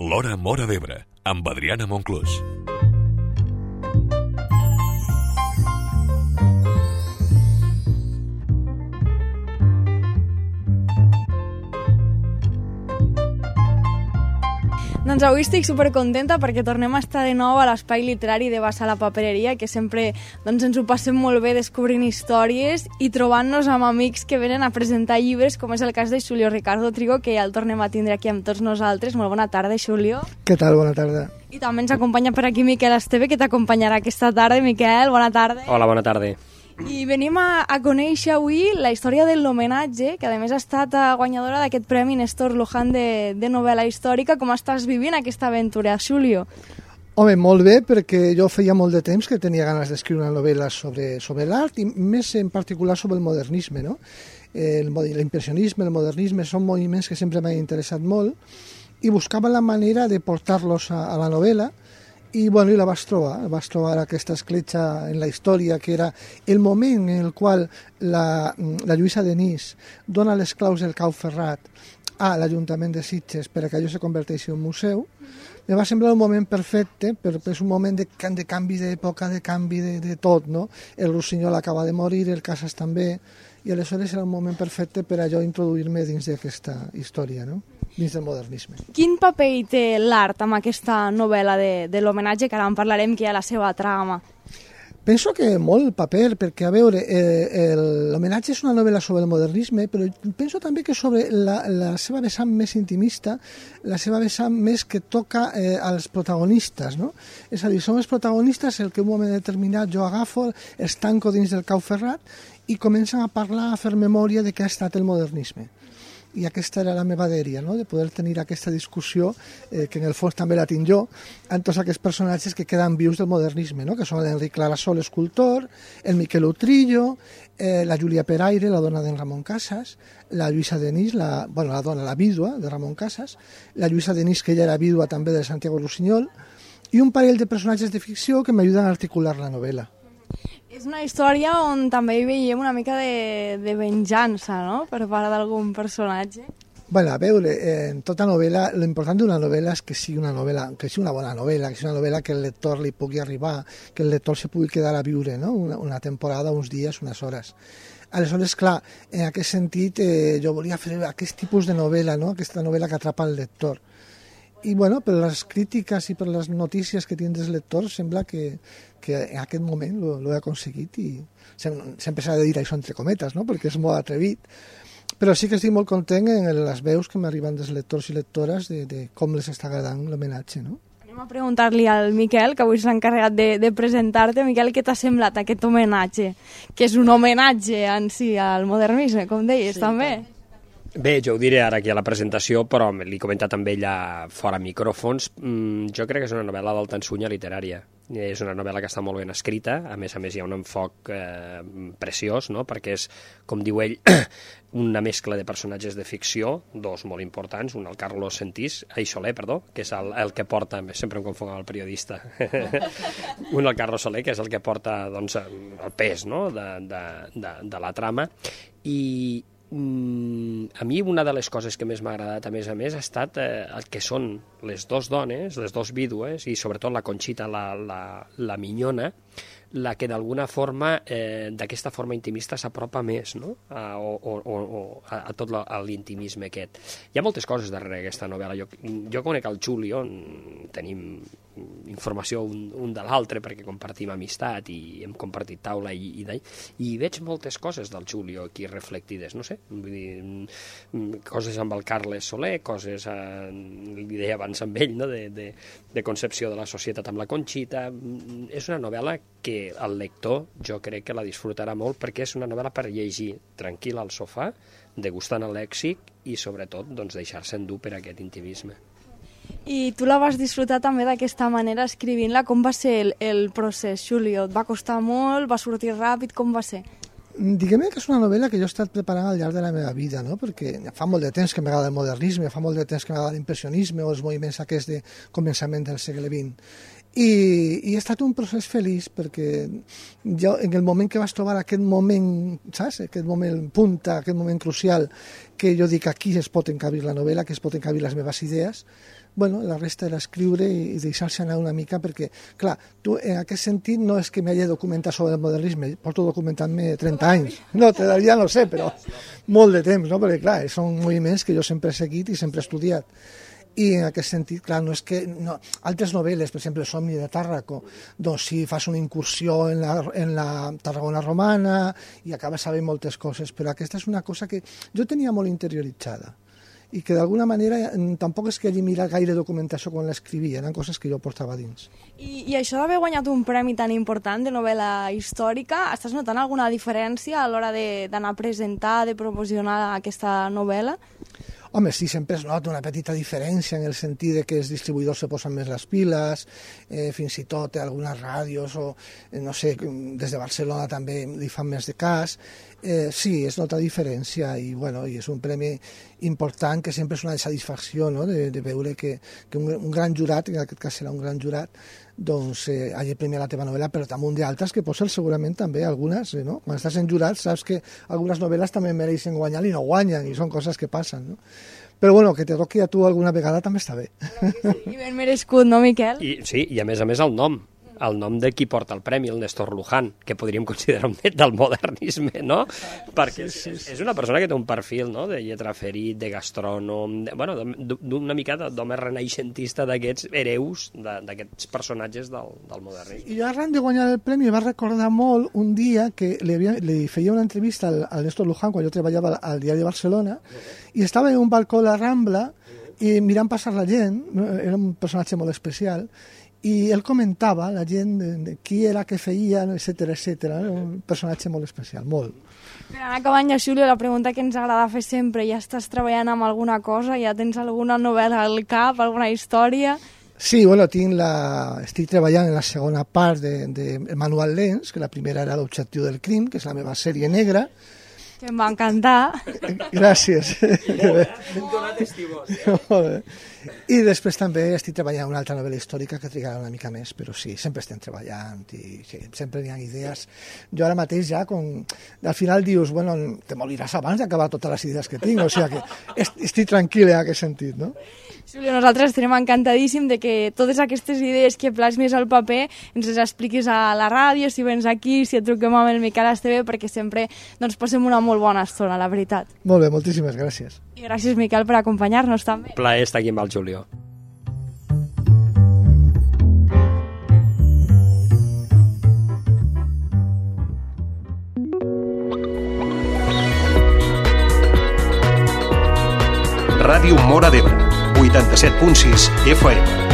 L'Hora Móra d'Ebre, amb Adriana Monclús. Doncs avui estic supercontenta perquè tornem a estar de nou a l'espai literari de Bassa la Papereria, que sempre ens ho passem molt bé descobrint històries i trobant-nos amb amics que venen a presentar llibres, com és el cas de Xulio Ricardo Trigo, que ja el tornem a tindre aquí amb tots nosaltres. Molt bona tarda, Xulio. Què tal? Bona tarda. I també ens acompanya per aquí Miquel Esteve, que t'acompanyarà aquesta tarda. Miquel, bona tarda. Hola, bona tarda. I venim a conèixer avui la història de l'homenatge, que a més ha estat guanyadora d'aquest Premi Néstor Luján de novel·la històrica. Com estàs vivint aquesta aventura, Xulio? Home, molt bé, perquè jo feia molt de temps que tenia ganes d'escriure una novel·la sobre l'art i més en particular sobre el modernisme, no? L'impressionisme, el modernisme són moviments que sempre m'han interessat molt i buscava la manera de portar-los a la novel·la. I la vas trobar aquesta escletxa en la història, que era el moment en el qual la Lluïsa Denis dona les claus del Cau Ferrat a l'Ajuntament de Sitges per que allò se converteixi en un museu. Me va semblar un moment perfecte, perquè és un moment de canvi d'època, de canvi de tot, no? El Rossinyol acaba de morir, el Casas també, i aleshores era un moment perfecte per a jo introduir-me dins d'aquesta història, no? Dins del modernisme. Quin paper hi té l'art amb aquesta novel·la de l'homenatge, que ara en parlarem, que hi ha la seva trama? Penso que molt paper, perquè, a veure, l'homenatge és una novel·la sobre el modernisme, però penso també que sobre la seva vessant més intimista, la seva vessant més que toca als protagonistes, no? És a dir, són els protagonistes el que en un moment determinat jo agafo, els tanco dins del Cau Ferrat i comencen a parlar, a fer memòria de què ha estat el modernisme. I aquesta era la meva dèria, no? De poder tenir aquesta discussió, que en el fons també la tinc jo, amb tots aquests personatges que queden vius del modernisme, no? Que són l'Enric Clarasol, escultor, el Miquel Utrillo, la Júlia Peraire, la dona d'en Ramon Casas, la Lluïsa Denis, la vídua de Ramon Casas, la Lluïsa Denis, que ella era vídua també de Santiago Rossinyol, i un parell de personatges de ficció que m'ajuden a articular la novel·la. És una història on també hi veiem una mica de venjança, no?, per part d'algun personatge. A veure, en tota novel·la, l'important d'una novel·la és que sigui una novel·la, que sigui una bona novel·la, que sigui una novel·la que el lector li pugui arribar, que el lector se pugui quedar a viure, no?, una temporada, uns dies, unes hores. Aleshores, clar, en aquest sentit, jo volia fer aquest tipus de novel·la, no?, aquesta novel·la que atrapa el lector. I, per les crítiques i per les notícies que tenen dels lectors, sembla que en aquest moment ho he aconseguit i sempre s'ha de dir això entre cometes, no?, perquè és molt atrevit. Però sí que estic molt content en les veus que m'arriben dels lectors i lectores de com les està agradant l'homenatge, no? Anem a preguntar-li al Miquel, que avui s'ha encarregat de presentar-te. Miquel, què t'ha semblat aquest homenatge? Que és un homenatge en si al modernisme, com deies, sí, també. Bé, jo ho diré ara aquí a la presentació, però l'he comentat amb ella fora micròfons. Jo crec que és una novel·la d'alta ensunya literària. És una novel·la que està molt ben escrita, a més hi ha un enfoc preciós, no?, perquè és, com diu ell, una mescla de personatges de ficció, dos molt importants, un el Carlos Soler, que és el que porta, sempre em confonc amb el periodista, un el Carlos Soler, que és el que porta el pes, no?, de la trama, i a mi una de les coses que més m'ha agradat a més ha estat el que són les dues dones, les dues vídues i sobretot la Conxita, la minyona, la que d'alguna forma, d'aquesta forma intimista s'apropa més, no?, a tot l'intimisme aquest. Hi ha moltes coses darrere aquesta novel·la. Jo conec el Xulio, tenim informació un de l'altre perquè compartim amistat i hem compartit taula i veig moltes coses del Xulio aquí reflectides, no sé, vull dir, coses amb el Carles Soler, coses, li deia abans amb ell, no?, de concepció de la societat amb la Conxita. És una novel·la que el lector jo crec que la disfrutarà molt perquè és una novel·la per llegir tranquil al sofà, degustant el lèxic i sobretot deixar-se endur per aquest intimisme. I tu la vas disfrutar també d'aquesta manera escrivint-la. Com va ser el procés, Xulio? Et va costar molt? Va sortir ràpid? Com va ser? Diguem que és una novel·la que jo he estat preparant al llarg de la meva vida, no? Perquè fa molt de temps que m'agrada el modernisme, fa molt de temps que m'agrada l'impressionisme o els moviments aquests de començament del segle XX. I ha estat un procés feliç, perquè jo, en el moment que vas trobar aquest moment, saps? Aquest moment punta, aquest moment crucial, que jo dic aquí es pot encabir la novel·la, que es pot encabir les meves idees, bueno, la resta era escriure i deixar-se anar una mica, perquè, clar, tu en aquest sentit no és que m'hagi documentat sobre el modernisme, porto documentant-me 30 anys, no, ja no sé, però molt de temps, no? Perquè, clar, són moviments que jo sempre he seguit i sempre he estudiat. I en aquest sentit, clar, no és que... No, altres novel·les, per exemple, Somni de Tàrraco, doncs sí, fas una incursió en la Tarragona romana i acabes sabent moltes coses, però aquesta és una cosa que jo tenia molt interioritzada i que d'alguna manera tampoc és que hagi mirat gaire documentació quan l'escrivia, eren coses que jo portava dins. I això d'haver guanyat un premi tan important de novel·la històrica, estàs notant alguna diferència a l'hora d'anar a presentar, de promocionar aquesta novel·la? Home, sí, sempre es nota una petita diferència en el sentit de que els distribuïdors se posen més les piles, fins i tot algunes ràdios o, no sé, des de Barcelona també li fan més de cas. Sí, es nota diferència i, bueno, i és un premi important que sempre és una satisfacció, no?, de veure que un gran jurat, en aquest cas serà un gran jurat, doncs hagi premiat la teva novel·la, però damunt d'altres que pots ser segurament també algunes, no? Quan estàs en jurat saps que algunes novel·les també mereixen guanyar i no guanyen, i són coses que passen, no? Però bueno, que te toqui a tu alguna vegada també està bé. I ben merescut, no, Miquel? Sí, i a més el nom de qui porta el premi, el Néstor Luján, que podríem considerar un net del modernisme, no? Perquè és una persona que té un perfil, no?, de lletraferit, de gastrònom, d'una mica d'home renaixentista, d'aquests hereus, d'aquests personatges del modernisme. I jo arran de guanyar el premi va recordar molt un dia que li feia una entrevista al Néstor Luján quan jo treballava al Diari de Barcelona i estava en un balcó de la Rambla i mirant passar la gent, era un personatge molt especial, i ell comentava la gent de qui era, què feia, etcètera, etcètera. Un personatge molt especial, molt. Per anar acabant, ja, Xulio, la pregunta que ens agrada fer sempre, ja estàs treballant amb alguna cosa? Ja tens alguna novel·la al cap, alguna història? Sí, bueno, estic treballant en la segona part de Manual Lens, que la primera era L'objectiu del crim, que és la meva sèrie negra. Que em va encantar. Gràcies. Hem donat estimós. I després també estic treballant una altra novel·la històrica que trigarà una mica més, però sí, sempre estem treballant i sí, sempre hi ha idees. Jo ara mateix ja, al final dius, bueno, te moriràs abans d'acabar totes les idees que tinc, o sigui que estic tranquil en aquest sentit, no? Xulio, nosaltres estarem encantadíssim de que totes aquestes idees que plasmis al paper ens les expliquis a la ràdio, si vens aquí, si et truquem amb el Miquel Esteve, perquè sempre doncs, passem una molt bona estona, la veritat. Molt bé, moltíssimes gràcies. I gràcies, Miquel, per acompanyar-nos també. Plaer estar aquí amb el Julio. Ràdio Móra d'Ebre, 87.6 FM.